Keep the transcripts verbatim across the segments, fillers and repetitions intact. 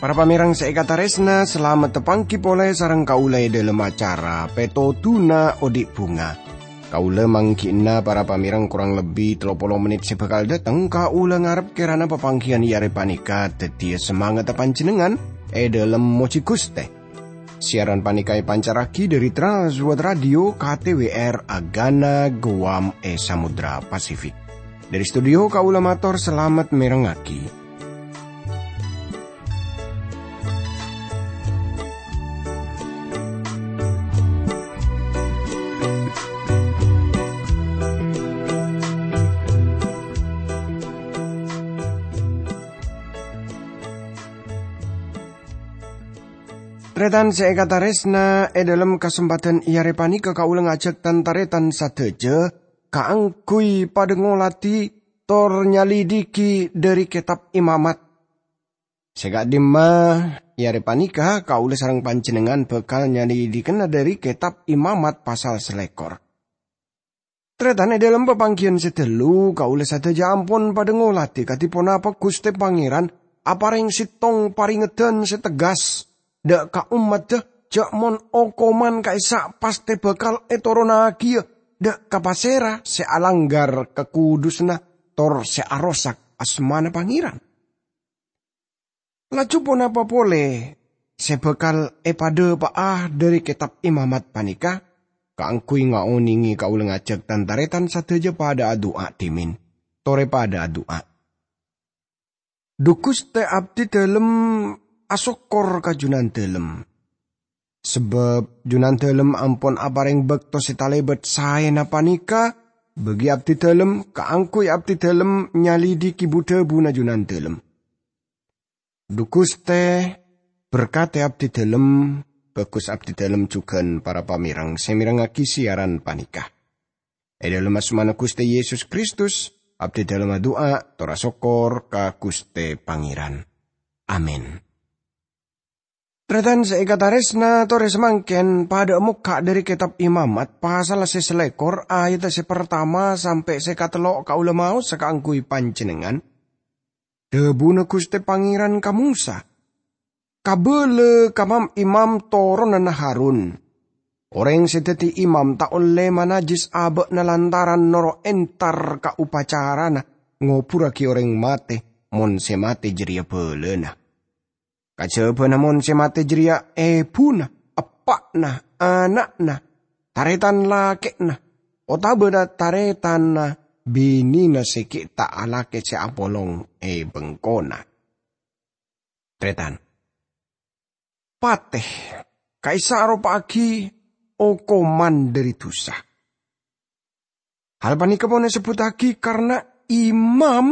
Para pamèrèng sè èkatarèsna, salamet tapanggi polè sareng kaulâ è dhâlem acara Pètodhuna Odi' Bhunga. Kaulâ mangghi'na para pamèrèng korang lebbi tello polo mennit sè bhâkal dâteng, kaulâ ngarep kèrana papangghiyân è arè panèka dhâddhiyâ samangata panjhennengngan è dhâlem mojhi Ghustè. Siaran panèka èpancarraghi dhâri Trans World Radio K T W R Agana Guam è Samudra Pasifik. Dhâri studio kaulâ mator salamet mèrengngaghi. Tarètan sè èkatarèsna, è dhâlem kasempadhân è arè panèka kaulâ ngajhâk tan-tarètan sadhâjâ kaangghuy padâ ngolatè tor nyalidhighi dhâri Kètab Imamat. Sè ka'dimma, è arè panèka kaulâ sareng panjhennengngan bhâkal nyalidhighina dhâri Kètab Imamat pasal salèkor. Tarètan, è dhâlem papangghiyân sè ghâllu, kaulâ sadhâjâ ampon padâ ngolatè kadhi ponapa Ghustè Pangèran aparèng sèttong parèngedhân sè tegghâs dhâ' ka ommaddhâ jhâ' mon okoman ka'issa' pastè bhâkal ètoronnaghiyâ dhâ' ka pasèra sè alangghâr kakudusânna tor sè arosak asmana Pangèran. Laju ponapa polè sè bhâkal èpadhâpa'a dhâri Kètab Imamat panèka? Kaangghuy ngaonèngè kaulâ ngajhâk tan-tarètan sadhâjâ padâ adu'a dhimèn. Torè padâ adu'a. Dhu Ghustè, abdhi dhâlem asokkor ka Junandhâlem. Sabâb Junandhâlem ampon aparèng bâkto sè talèbât saèna panèka bagi abdhi dhâlem kaangghuy abdhi dhâlem nyalidhighi bu-dhâbuna Junandhâlem. Dhu Ghustè, berkatè abdhi dhâlem, bhâghus abdhi dhâlem jhughân para pamèrèng sè mèrengngaghi siaran panèka. È dhâlem asmana Ghustè Yesus Kristus, abdhi dhâlem adu'a, tor asokkor ka Ghustè Pangèran. Amin. Tarètan sè èkatarèsna, torè samangkèn padâ'â mokka' dhâri Kètab Imamat, pasal sè salèkor, ayat sè partama sampè' sè katello' kaulâ maosa kaangghuy panjhennengngan. Dhâbuna Ghustè Pangèran ka Mosa, "Kabâlâ ka mam-imam toronanna Harun, 'Orèng sè dhâddhi imam ta' ollè manajjis abâ'na lantaran noro' entar ka opacarana ngoburraghi orèng matè, mon sè matè jârèya bhâlâna. Kajhâbhâna mon sè matè jârèya èbhuna, eppa'na, ana'na, tarètan lakè'na, otabâna tarètanna binèna sè ghi' ta' alakè sè apolong è bengkona.'" Tarètan. Patè, ka'issa' aropa'aghi okoman dhâri dhusa. Hal panèka pon èsebbhuttaghi karna imam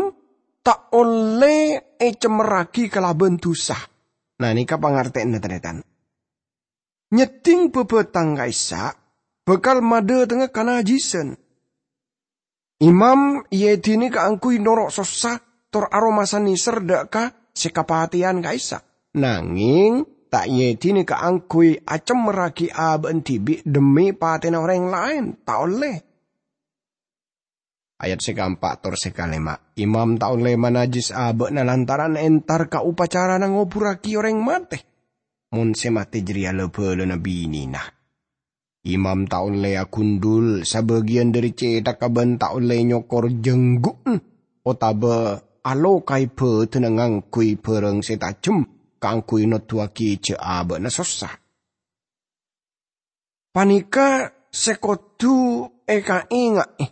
ta' ollè ècemmerraghi kalabân dhusa. Nah, nèka pangartèyanna, tarètan. Nyeddhing bhâbhâtang ka'issa' bhâkal madhâtengnga kanajjhâsân. Imam èedhinè kaangghuy noro' sossa tor aromasa nèser dhâ' ka sè kapatèyan ka'issa'. Nangèng ta' èedhinè kaangghuy acemmerraghi abâ'na dhibi' dhemmi patèna orèng laèn, ta' ollè. Ayat sè kaempa' tor sè kalèma', imam ta' ollè manajjis abâ'na lantaran entar ka opacarana ngoburraghi orèng matè, mon sè matè jârèya la bhâlâna binèna. Imam ta' ollè agundhul sabâgiyân dhâri cèthagghâ bân ta' ollè nyokor jhângghu'na otabâ alokaè bhâdhânna ngangghuy bhârâng sè tajhem kaangghuy noddhuwaghi jhâ' abâ'na sossa. Panèka sè kodhu èkaènga'è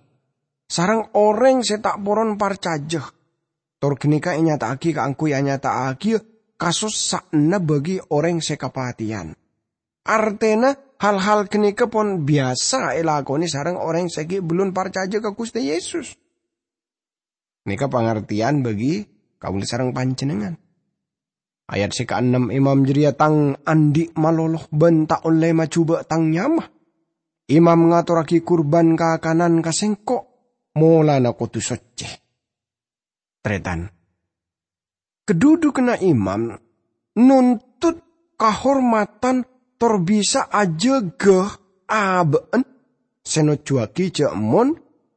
sareng orèng sè ta' poron parcajâ. Tor ghânèka ènyata'aghi kaangghuy anyata'aghiyâ kasossa'anna bagi orèng sè kapatèyan. Artèna, hal-hal ghânèka pon biyasa èlakonè sareng orèng sè ghi' bellun parcajâ ka Ghustè Yesus. Nèka pangartèyan bagi kaulâ sareng panjhennengngan. Ayat sè kaennem, "Imam jârèya tang andi' malolo bân ta' ollè majhubâ' tang nyama. Imam ngatorraghi kurban kakanan ka sèngko', molana kodhu soccè." Tarètan. Kadhudhughânna imam nontot kahormadhân tor bisa ajâgâ abâ'na sè nojjuwâghi jhâ' mon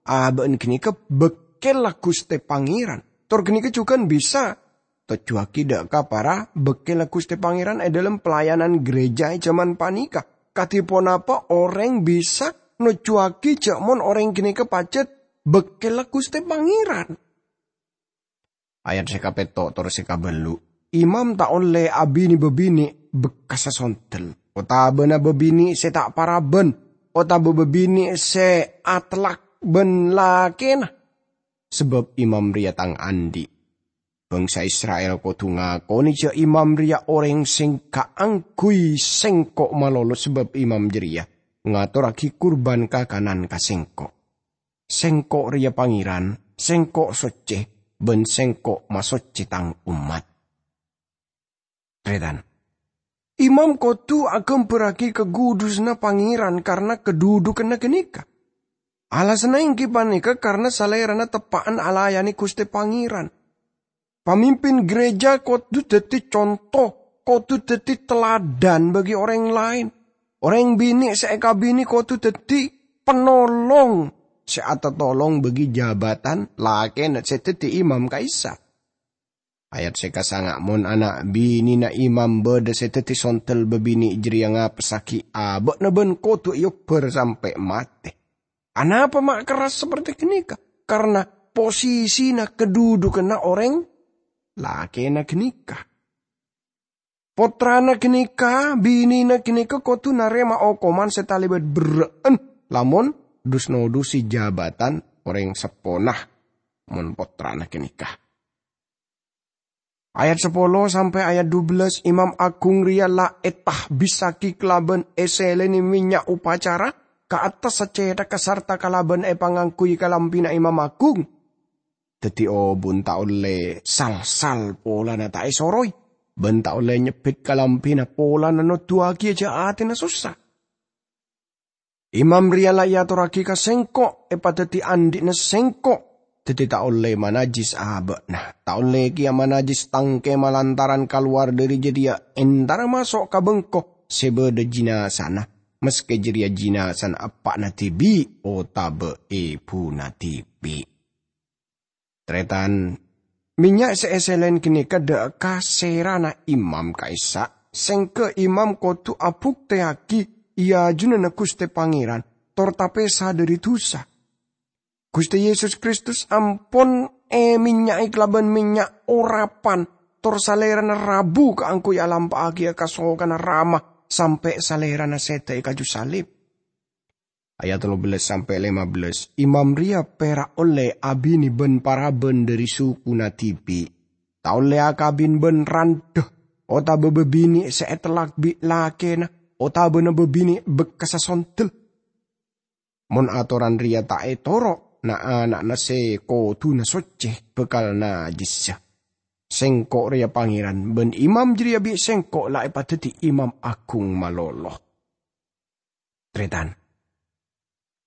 abâ'na ghânèka bâkkèlla Ghustè Pangèran. Tor ghânèka jhughân bisa tojjuwâghi dhâ' ka para bâkkèlla Ghustè Pangèran è dhâlem pelayanan gereja è jhâman panèka. Kadhi ponapa orèng bisa nojjuwâghi jhâ' mon orèng ghânèka pajhât bâkkèlla Ghustè Pangèran? Ayat sè kapètto' tor sè kabâllu', "Imam ta' ollè abinè-bâbinè' bekkassa sondel, otabâna bâbinè' sè ta' parabân, otabâ bâbinè' sè atellak bân lakèna, sabâb imam rèya tang andi'. Bhângsa Isra'il kodhu ngakonè jhâ' imam rèya orèng sè kaangghuy sèngko' malolo, sabâb imam jârèya ngatorraghi kurban kakanan ka sèngko'. Sèngko' rèya Pangèran, sèngko' soccè, bân sèngko' masoccè tang ommat." Tarètan, imam kodhu aghâmbhârraghi kagudusanna Pangèran karana kadhudhukanna ghânèka. Alasanna èngghi panèka karana salèrana teppa'an alayanè Ghustè Pangèran. Pamimpin gereja kodhu dhâddhi conto, kodhu dhâddhi teladan bagi orèng laèn. Orèng binè' sè èkabinè kodhu dhâddhi penolong sè atatolong bagi jabatan lakèna sè dhâddhi imam ka'issa'. Ayat sè kasanga', "Mon ana' binèna imam bâdâ sè dhâddhi sondel, bâbinè' jârèya ngapessaghi abâ'na bân kodhu èobbhâr sampè' matè." Anapa ma' kerras saperte ghânèka? Karna posisina, kadhudhukanna orèng lakèna ghânèka. Pottrana ghânèka, binèna ghânèka kodhu narèma okoman sè talèbât berrâ'ân lamon dus-nodusè jabatan orèng seppona, mon pottrana ghânèka. Ayat sapolo sampè' ayat dubellâs, imam agung rèya la ètahbissaghi kalabân èsèlènè mènnya' opacara ka attas sacèthagghâ sarta kalabân èpangangghuy kalambhina imam agung. Dhâddhi obun ta' ollè sal-sal polana ta' èsoroy, bân ta' ollè nyebbhit kalambhina polana noduwâghiyâ jâ' atèna sossa. Imam rèya la èatorraghi ka sèngko', èpadhâddhi andhi'na sèngko', dhâddhi ta' ollè manajjis abâ'na, ta' ollè kèya manajjis tang kèma lantaran kalowar dhâri jârèya èntara maso' ka bengko sè bâdâ jinazana, maskè jârèya jinazana eppa'na dhibi' otabâ èbhuna dhibi'. Tarètan, mènnya' sè èsèlèn ghânèka dâ' ka sèrana imam ka'issa', sèngghâ imam kodhu abuktèyaghi è ajunanna Ghustè Pangèran, tor tapèsa dhâri dhusa. Ghustè Yesus Kristus ampon èmènnya'è kalabân mènnya' orapan, tor Salèrana rabu kaangghuy alampa'aghiyâ kasokanna Rama sampè' Salèrana sèdhâ è kaju salib. Ayat tello bellâs sampè' lèma bellâs, imam rèya pèra' ollè abinè bân parabân dhâri sukuna dhibi'. Ta' ollè akabin bân randhâ, otabâ bâbinè' sè ètellak bi' lakèna, otabâna bâbinè' bekkassa sondel. Mon atoran rèya ta' ètoro', na'-ana'na sè kodhuna soccè bhâkal najjhissa. Sèngko' rèya Pangèran, bân imam jârèya bi' sèngko' la èpadhâddhi imam agung malolo. Tarètan.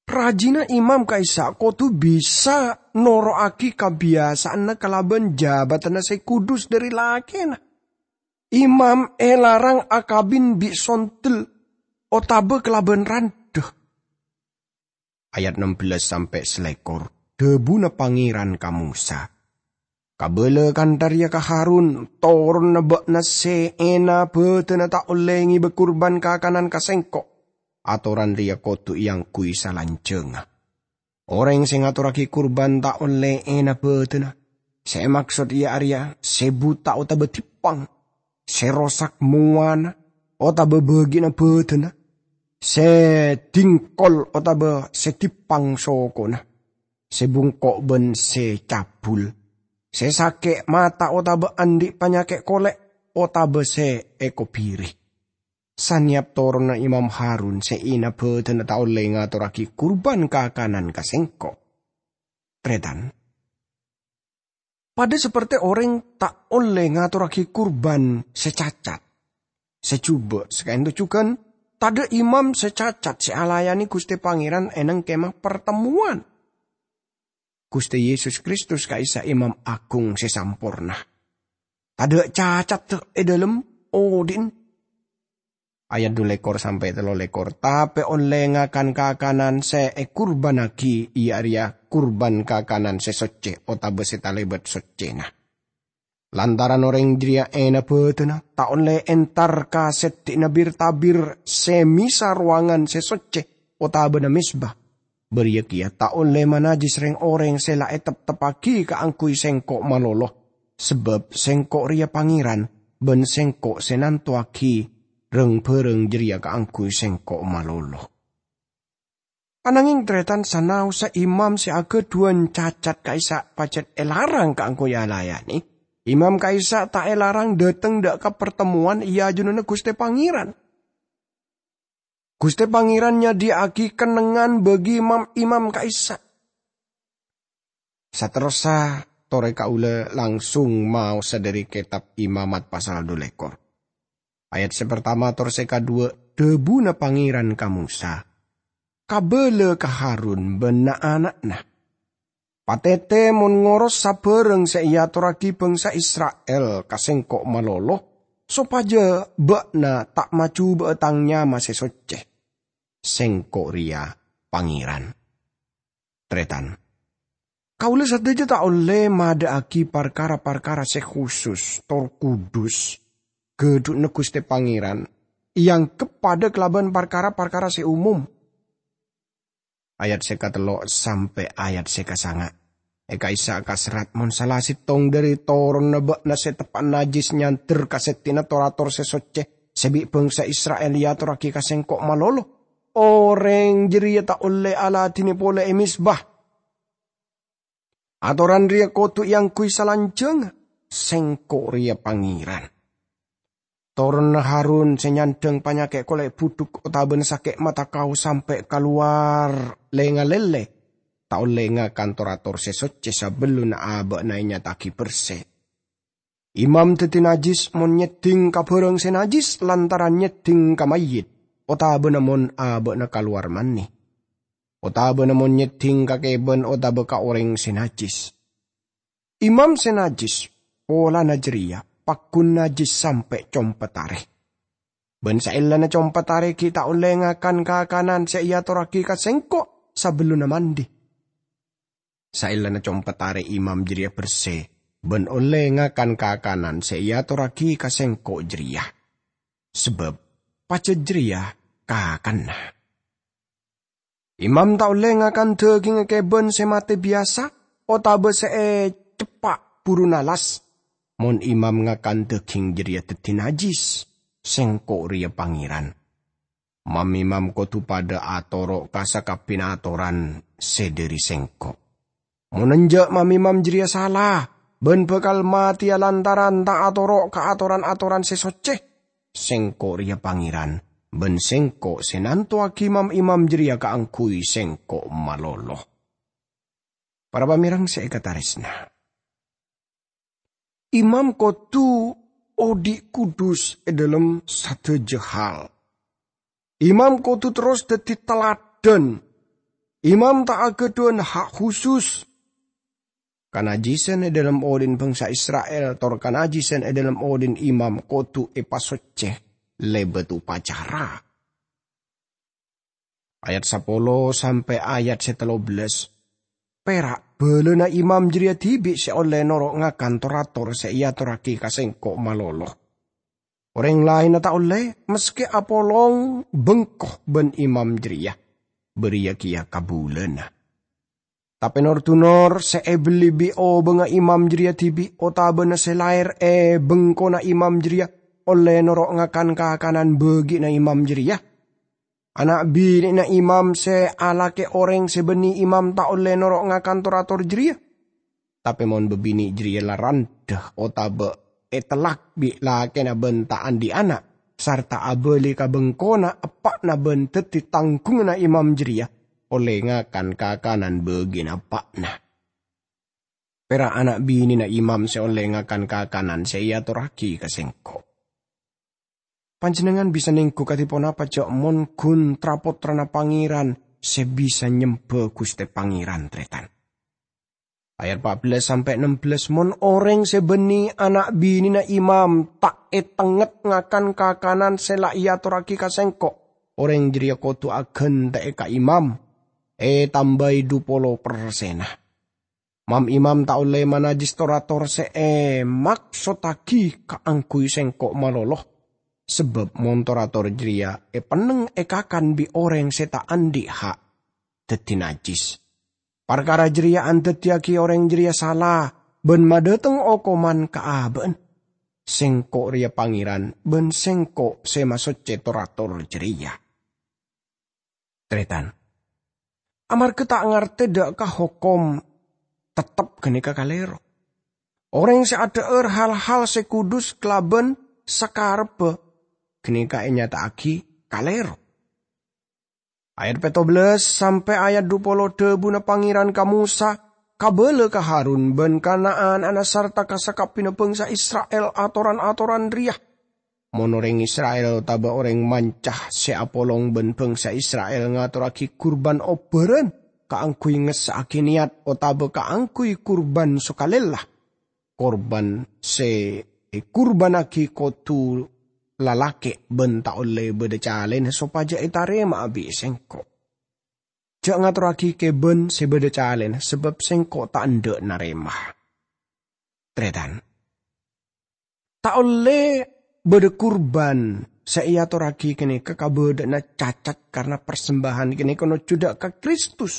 Rajina imam ka'issa' kodhu bisa noro'aghi kabiyasa'anna kalabân jabadhânna sè kudus dhâri lakèna. Imam èlarang akabin bi' sondel otabâ kalabân randhâ. Ayat ennem bellâs sampè' salèkor, dhâbuna Pangèran ka Mosa, "Kabâlâ kantha rèya ka Harun, toronna bâ'na sè ènabâdhâna ta' ollè ngèbâ kurban kakanan ka Sèngko'. Atoran rèya kodhu èangghuy salanjhângnga. Orèng sè ngatorraghi kurban ta' ollè ènabâdhâna, sè èmaksod iyâ arèya sè buta otabâ dhippang, sè rosak mowana otabâ bâgiânna bâdânna, sè dhingkol otabâ sè dhippang sokona, sè bungko' bân sè cabul, sè sakè' mata otabâ andi' panyakè' kolè', otabâ sè èkobiri. Sanèyap toronna Imam Harun sè ènabâdhâna ta' ollè ngatorraghi kurban kakanan ka Sèngko'." Tarètan. Padâ saperte orèng ta' ollè ngatorraghi kurban sè cacat, sè jhubâ', sakaènto jhughân tadâ' imam sè cacat sè alayanè Ghustè Pangèran è neng Kemah Partemmowan. Ghustè Yesus Kristus ka'issa' Imam Agung sè samporna. Tadâ' cacatta è dhâlem odi'na. Ayat dhu lèkor sampè' tello lèkor, "Tapè ollè ngakan kakanan sè èkurbânnaghi, iyâ arèya kurban kakanan sè soccè otabâ sè talèbât soccèna." Lantaran orèng jârèya ènabâdhâna, ta' ollè entar ka sèddhi'na bir-tabir sè mèsa rowangan sè soccè otabâna mezba. Bâriyâ kèya ta' ollè manajjis rèng-orèng sè la ètepteppaghi kaangghuy Sèngko' malolo, sabâb Sèngko' rèya Pangèran, bân Sèngko' sè nantowaghi rang-bhârâng jârèya kaangghuy Sèngko' malolo. Ananghing tarètan, sanaossa imam sè aghâdhuwân cacat ka'issa' pajhât èlarang kaangghuy alayannè, imam ka'issa' ta' èlarang dhâteng dâ' ka partemmowan è ajunanna Ghustè Pangèran. Ghustè Pangèran nyadhiyâ'aghi kennengngan bagi mam-imam ka'issa'. Saterrossa, torè kaulâ langsung maosa dhâri Kètab Imamat pasal dhu lèkor. Ayat sè partama tor sè kadhuwâ, dhâbuna Pangèran ka Mosa, "Kabâlâ ka Harun bân na'-ana'na. Patètè mon ngoros sabhârâng sè èatorraghi bhângsa Isra'il ka Sèngko' malolo, sopajâ bâ'na ta' majhubâ'â Tang nyama sè soccè. Sèngko' rèya Pangèran." Tarètan, kaulâ sadhâjâ ta' ollè madhâ'aghi parkara-parkara sè khusus tor kudus ghâdhuwânna Ghustè Pangèran, èangghep padâ kalabân parkara-parkara sè umum. Ayat sè katello' sampè' ayat sè kasanga'. È ka'issa' kaserrat, "Mon sala sèttong dhâri toronna bâ'na sè teppa' najjhis nyandher ka sèddhi'na tor-ator sè soccè sè bi' bhângsa Isra'il èatorraghi ka Sèngko' malolo, orèng jârèya ta' ollè aladhinè polè è mezba. Atoran rèya kodhu èangghuy salanjhângnga, Sèngko' rèya Pangèran. Toronna Harun sè nyandhâng panyakè' kolè' budhuk otabâna sakè' mata kao sampè' kalowar lè-ngalèlè, ta' ollè ngakan tor-ator sè soccè sabellunna abâ'na ènyata'aghi bersè. Imam dhâddhi najjhis mon nyèddhing ka bhârâng sè najjhis lantaran nyèddhing ka mayyit, otabâna mon abâ'na kalowar mani, otabâna mon nyèddhing ka kèbân otabâ ka orèng sè najjhis. Imam sè najjhis polana jârèya paggun najjhis sampè' compet arè. Bân saellana compet arè ghi' ta' ollè ngakan kakanan sè èatorraghi ka Sèngko' sabellunna mandi. Saellana compet arè imam jârèya bersè bân ollè ngakan kakanan sè èatorraghi ka Sèngko' jârèya, sabâb pajhât jârèya kakanna. Imam ta' ollè ngakan dhâghingnga kèbân sè matè biyasa otabâ sè èceppa' buru nalas. Mon imam ngakan dhâghing jârèya dhâddhi najjhis. Sèngko' rèya Pangèran. Mam-imam kodhu padâ atoro' ka sakabbhiyânna atoran sè dhâri Sèngko'. Mon enjâ', mam-imam jârèya sala bân bhâkal matèya lantaran ta' atoro' ka atoran-atoran sè soccè. Sèngko' rèya Pangèran, bân Sèngko' sè nantowaghi mam-imam jârèya kaangghuy Sèngko' malolo. Para pamèreng sè èkatarèsna, imam kodhu odi' kudus è dhâlem sadhâjâ hal. Imam kodhu terros dhâddhi taladhân. Imam ta' aghâdhuwân hak khusus. Kanajjhâsân è dhâlem odhi'na bhângsa Isra'il tor kanajjhâsân è dhâlem odhi'na imam kodhu èpasoccè lèbât upacara. Ayat sapolo sampè' ayat sè tello bellâs. Pèra' bhâlâna imam jârèya dhibi' sè ollè noro' ngakan tor-ator sè èatorraghi ka Sèngko' malolo. Orèng laènna ta' ollè, maskè apolong bengko bân imam jârèya, bâriyâ kèya kabulâna. Tapè nor-dunor sè èbelli bi' obângnga imam jârèya dhibi' otabâna sè laèr è bengkona imam jârèya ollè noro' ngakan kakanan bâgi'na imam jârèya. Ana' binè'na imam sè alakè orèng sè bânnè imam ta' ollè noro' ngakan tor-ator jârèya. Tapè mon bâbinè' jârèya la randhâ otabâ ètellak bi' lakèna bân ta' andi' ana', sarta abâli ka bengkona eppa'na bân dhâddhi tangghunganna imam jârèya, ollè ngakan kakanan bâgi'na eppa'na. Pèra' ana' binèna imam sè ollè ngakan kakanan sè èatorraghi ka sèngko'. Panjhennengngan bisa nèngghu kadhi ponapa, jhâ' mon ghun tra-pottrana Pangèran sè bisa nyembhâ Ghustè Pangèran, tarètan? Ayat pa' bellâs sampè' nem bellâs, "Mon orèng sè bânnè ana' binèna imam ta' ètengnget ngakan kakanan sè la èatorraghi ka sèngko', orèng jârèya kodhu aghântè'è ka imam, ètambâi dhu polo persenna. Mam-imam ta' ollè manajjis tor-ator sè èmaksottaghi kaangghuy sèngko' malolo, sabâb mon tor-ator jârèya èpennèng èkakan bi' orèng sè ta' andi' ha' dhâddhi najjis. Parkara jârèya andhâddhiyâghi orèng jârèya sala bân madhâteng okoman ka abâ'na. Sèngko' rèya Pangèran bân Sèngko' sè masoccè tor-ator jârèya." Tarètan, amarghâ ta' ngartè dâ' ka hokom, tettep ghânèka kalèro. Orèng sè adhâ'âr hal-hal sè kudus kalabân sakarebbhâ, ghânèka ènyata'aghi kalèro. Ayat pètto bellâs sampè' ayat dhu polo, dhâbuna Pangèran ka Mosa, "Kabâlâ ka Harun bân ka na'-ana'na sarta ka sakabbhiyânna bhângsa Isra'il atoran-atoran rèya. Mon orèng Isra'il otabâ orèng manca sè apolong bân bhângsa Isra'il ngatorraghi kurban obhârân kaangghuy ngessa'aghi nèyat otabâ kaangghuy kurban sokalèlla, kurban sè èkurbannaghi kodhu lalakè' bân ta' ollè bâdâ calèna sopajâ ètarèma'a bi' sèngko'. Jhâ' ngatorraghi kèbân sè bâdâ calèna, sabâb sèngko' ta' endâ' narèma." Tarètan, ta' ollè bâdâ kurban sè èatorraghi ghânèka kabâdâ'ânna cacat karna parsembâhân ghânèka nojjhu dâ' ka Kristus.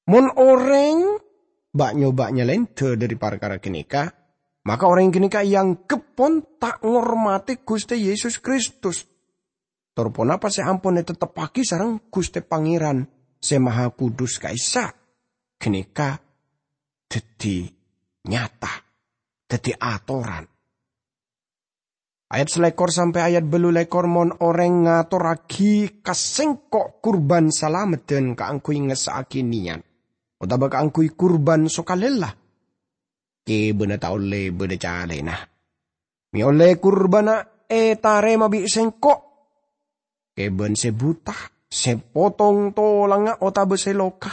Mon orèng ba'-nyoba' nyalèndâ dhâri parkara ghânèka, maka orèng ghânèka èangghep pon ta' ngormadhi Ghustè Yesus Kristus. Tor ponapa sè ampon ètetteppaghi sareng Ghustè Pangèran Sè Mahakudus ka'issa', ghânèka dhâddhi nyata, dhâddhi atoran. Ayat salèkor sampè' ayat bâllu lèkor, "Mon orèng ngatorraghi ka sèngko' kurban salameddhân kaangghuy ngessa'aghi nèyat, otabâ kaangghuy kurban sokalèlla, kèbânna ta' ollè bâdâ calèna. Mè' ollè kurbanna ètarèma bi' sèngko'. Kèbân sè buta, sè potong tolangnga otabâ sè loka,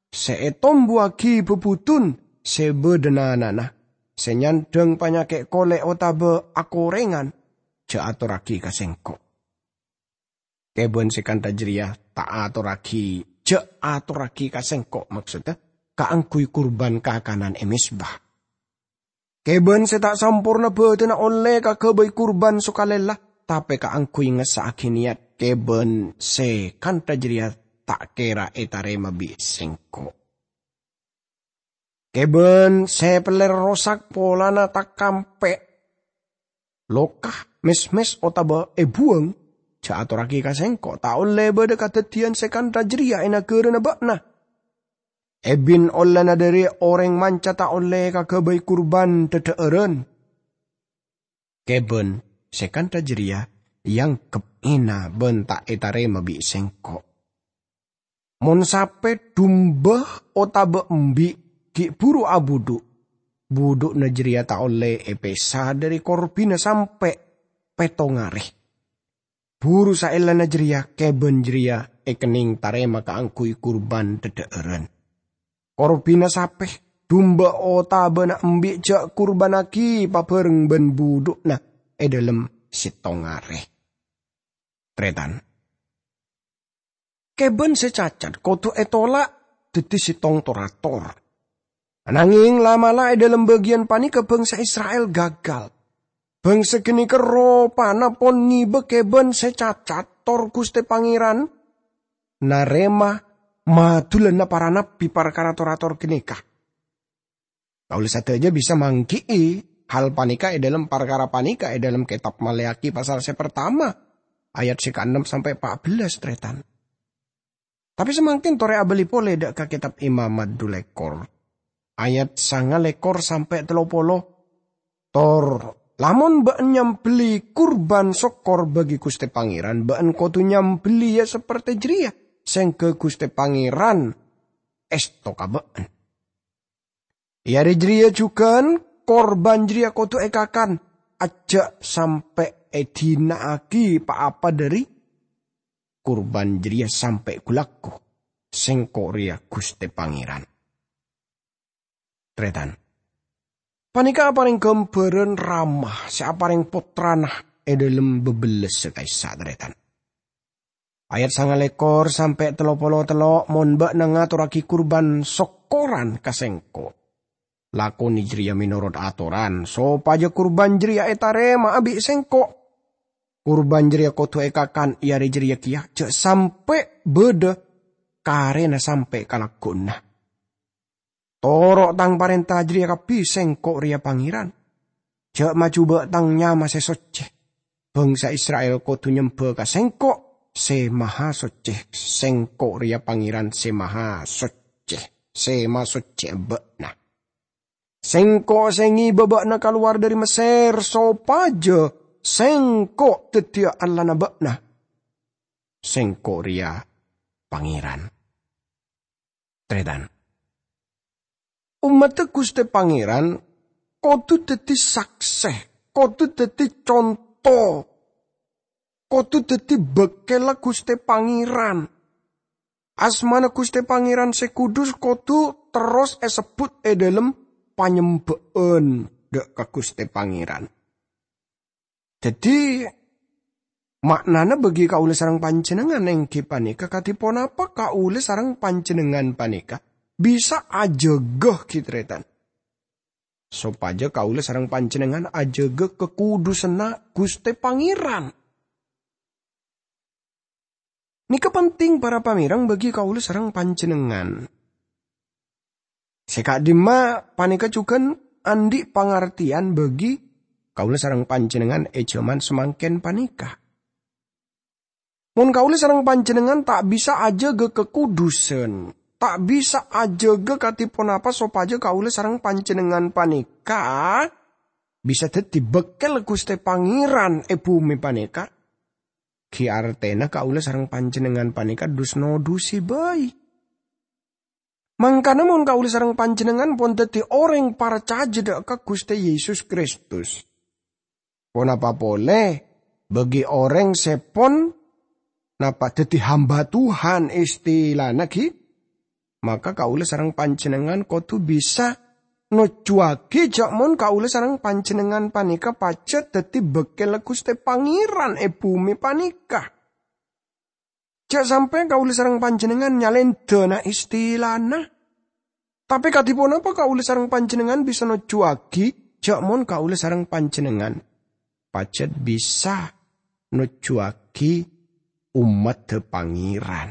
sè ètombuwaghi bhâbhudhun sè bâdâ nanana, sè nyandhâng panyakè' kolè' otabâ akorèngan, jhâ' atorraghi ka sèngko'." Kèbân sè kantha jârèya ta' atorraghi, jhâ' atorraghi ka sèngko', maksodda, kaangghuy kurban kakanan è mezba. Kèbân sè ta' samporna bâdâna ollè kaghâbây kurban sokalèlla, tapè kaangghuy ngessa'aghi nèyat kèbân sè kantha jârèya ta' kèra ètarèma bi' sèngko'. Kèbân sè pellèr rosak polana takampè', loka, mès-mès otabâ èbuwâng, jhâ' atorraghi ka sèngko'. Ta' ollè bâdâ kadhâddhiyân sè kantha jârèya è naghârâna bâ'na. Èbin ollèna dhâri orèng manca ta' ollè kaghâbây kurban dhâdhâ'ârân. Kèbân sè kantha jârèya èangghep èna bân ta' ètarèma bi' sèngko'. Mon sapè, dumba, otabâ embi' ghi' bhuru abudhu', budhu'na jârèya ta' ollè èpèsa dhâri korbhina sampè' pèttong arè. Buru saellana jârèya kèbân jârèya èkennèng tarèma kaangghuy kurban dhâdhâ'ârân. Korbhina sapè, dumba otabâna embi' jhâ' kurbannaghi pabhâreng bân budhu'na è dhâlem sèttong arè. Tarètan. Kèbân sè cacat kodhu ètola' dhâddhi sèttong tor-ator. Anangèng la'-mala' è dhâlem bâgiyân panèka bhângsa Isra'il gagal. Bhângsa ghânèka ropana pon ngibâ kèbân sè cacat, tor Ghustè Pangèran narèma madulanna para nabbhi parkara tor-ator ghânèka. Kaulâ sadhâjâ bisa mangghi'i hal panèka è dhâlem parkara panèka è dhâlem kètab Maleakhi pasal sè partama, ayat sè kaennem sampè' pa' bellâs, tarètan. Tapè samangkèn torè abâli polè dâ' ka kètab Imamat dhu lèkor, ayat sanga lèkor sampè' tello polo. Tor, lamon bâ'na nyambelli kurban sokkor bagi Ghustè Pangèran, bâ'na kodhu nyambelliyâ saperte jârèya, sèngghâ Ghustè Pangèran èsto ka bâ'na. È arè jârèya jhughân, kurban jârèya kodhu èkakan, ajjhâ' sampè' èdina'aghi pa-apa dhâri kurban jârèya sampè' ghu-lagghu. Sèngko' rèya Ghustè Pangèran. Tarètan. Panèka aparèng ghâmbhârân Rama sè aparèng pottrana è dhâlem bâbellâssa ka'issa', tarètan. Ayat sangalèkor sampè' tello polo tello', "Mon bâ'na ngatorraghi kurban sokkoran ka Sèngko', lakonè jârèya mènorot atoran, sopajâ kurban jârèya ètarèma'a bi' Sèngko'. Kurban jârèya kodhu èkakan è arè jârèya kèya, jhâ' sampè' bâdâ karèna sampè' ka lagghu'na. Toro' Tang parènta jârèya kabbhi, Sèngko' rèya Pangèran. Jhâ' majubâ' Tang nyama sè soccè. Bhângsa Isra'il kodhu nyembhâ ka Sèngko', Sè Mahasoccè, Sèngko' rèya Pangèran Sè Mahasoccè, Sè masoccè'a bâ'na. Sèngko' sè ngibâ bâ'na kalowar dhâri Messèr, sopajâ Sèngko' dhâddhiyâ Allahna bâ'na. Sèngko' rèya Pangèran." Tarètan. Ommaddhâ Ghustè Pangèran kodhu dhâddhi saksè, kodhu dhâddhi conto, kodhu dhâddhi bâkkèlla Ghustè Pangèran. Asmana Ghustè Pangèran sè kudus kodhu terros èsebbhut è dhâlem panyembhâ'ân dâ' ka Ghustè Pangèran. Dhâddhi, ma'nana bagi kaulâ sareng panjhennengngan èngghi panèka, kadhi ponapa kaulâ sareng panjhennengngan panèka bisa ajâgâ, ghi, tarètan, sopajâ kaulâ sareng panjhennengngan ajâgâ kakudusanna Ghustè Pangèran? Nèka penting, para pamèreng, bagi kaulâ sareng panjhennengngan. Sè ka'dimma panèka jhughân andi' pangartèyan bagi kaulâ sareng panjhennengngan è jhâman samangkèn panèka. Mon kaulâ sareng panjhennengngan ta' bisa ajâgâ kakudusan, ta' bisa ajâgâ kadhi ponapa sopajâ kaulâ sareng panjhennengngan panèka bisa dhâddhi bâkkèl Ghustè Pangèran è bhumè panèka, ghi artèna kaulâ sareng panjhennengngan panèka dus-nodusè bhâi. Mangkana mon kaulâ sareng panjhennengngan pon dhâddhi orèng parcajâ dâ' ka Ghustè Yesus Kristus, ponapa polè bagi orèng sè pon napa dhâddhi hamba Tuhan istilana ghi? Maka kaulâ sareng panjhennengngan kodhu bisa nojjuwâghi jhâ' mon kaulâ sareng panjhennengngan panèka pajhât dhâddhi bâkkèlla Ghustè Pangèran è bhumè panèka. Jhâ' sampè' kaulâ sareng panjhennengngan nyalèndhâna istilana. Tapè kadhi ponapa kaulâ sareng panjhennengngan bisa nojjuwâghi jhâ' mon kaulâ sareng panjhennengngan pajhât bisa nojjuwâghi ommaddhâ Pangèran?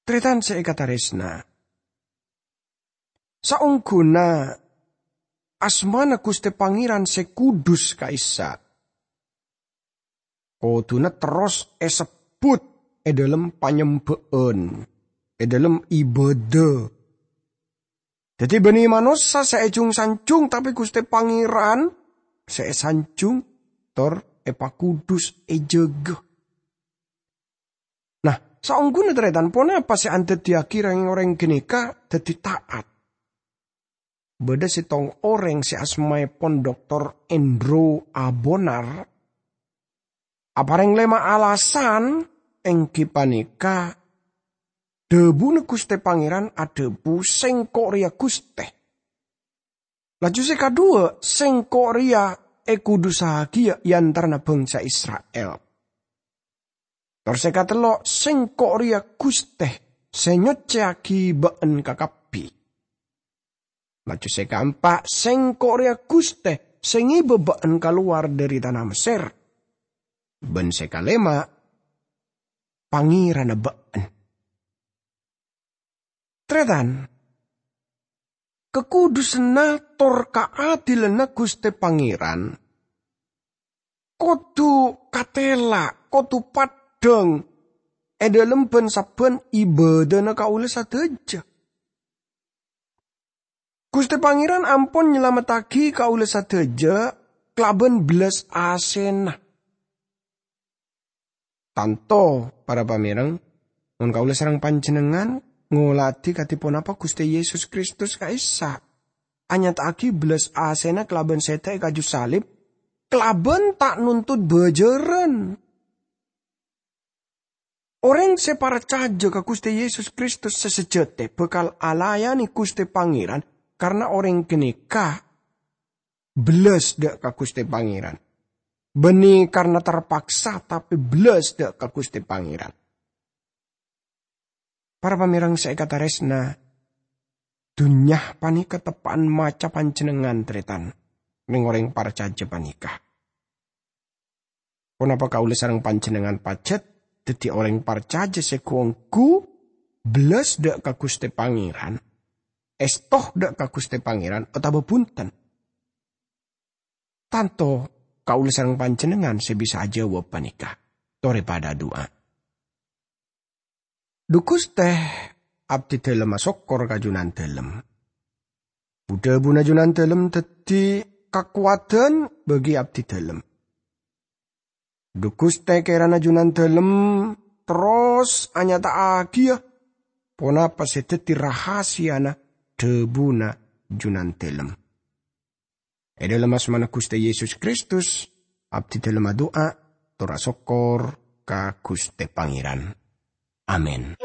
Tarètan sè èkatarèsna, saongghuna asmana Ghustè Pangèran sè kudus ka'issa' kodhuna terros èsebbhut è dhâlem panyembhâ'ân, è dhâlem ibâdâ. Dhâddhi, bânnè manossa sè èjhung-sanjhung, tapè Ghustè Pangèran sè èsanjhung tor èpakudus, èjâgâ. Nah, saongghuna tarètan, ponapa sè andhâddhiyâghi rèng-orèng ghânèka dhâddhi ta'at? Bâdâ sèttong orèng sè asmaèpon Doktor Andrew Abonar aparèng lèma alasan, èngghi panèka dhâbuna Ghustè Pangèran adhâbu, "Sèngko' rèya Ghustè." Laju sè kadhuwâ, "Sèngko' rèya èkudusaghi è antarana bhângsa Isra'il." Tor sè katello', "Sèngko' rèya Ghustè sè nyoccèyaghi bâ'ân kakabbhi." Laju sè kaempa', "Sèngko' rèya Ghustè sè ngibâ bâ'ân kalowar dhâri tana Messèr." Bân sè kalèma', "Pangèranna bâ'ân." Tarètan, kakudusanna tor kaadilanna Ghustè Pangèran kodhu katèla', kodhu paddhâng è dhâlem bân-sabbhân ibâdâna kaulâ sadhâjâ. Ghustè Pangèran ampon nyalamettaghi kaulâ sadhâjâ kalabân bellas asèna. Tanto, para pamèreng, mon kaulâ sareng panjhennengngan ngoladhi kadhi ponapa Ghustè Yesus Kristus ka'issa', anyata'aghi bellas asèna kalabân sèdhâ è kaju salib, kalabân ta' nontot bâjârân. Orèng sè parcajâ ka Ghustè Yesus Kristus sè sajhâtè bhâkal alayani Ghustè Pangèran, karna orèng ghânèka bellas dâ' ka Ghustè Pangèran. Bânnè karna terpaksa, tapè bellas dâ' ka Ghustè Pangèran. Para pamèreng sè èkatarèsna, dhunnya panèka teppa'an maca panjhennengngan, tarètan, rèng-orèng parcajâ panèka. Ponapa kaulâ sareng panjhennengngan pajhât dhâddhi orèng parcajâ sè ghu-ongghu bellas dâ' ka Ghustè Pangèran, èsto dâ' ka Ghustè Pangèran, otabâ bhunten? Tanto kaulâ sareng panjhennengngan sè bisa ajâwâb panèka. Torè padâ adu'a. Dhu Ghustè, abdhidhâlem asokkor ka Junandhâlem. Bu-dhâbuna Junandhâlem dhâddhi kakowadhân bagi abdhidhâlem. Dhu Ghustè, kèrana Junandhâlem terros anyata'aghiyâ ponapa sè dhâddhi rahasiyana dhâbuna Junandhâlem. È dhâlem asmana Ghustè Yesus Kristus, abdhidhâlem adu'a, tor asokkor ka Ghustè Pangèran. Amin.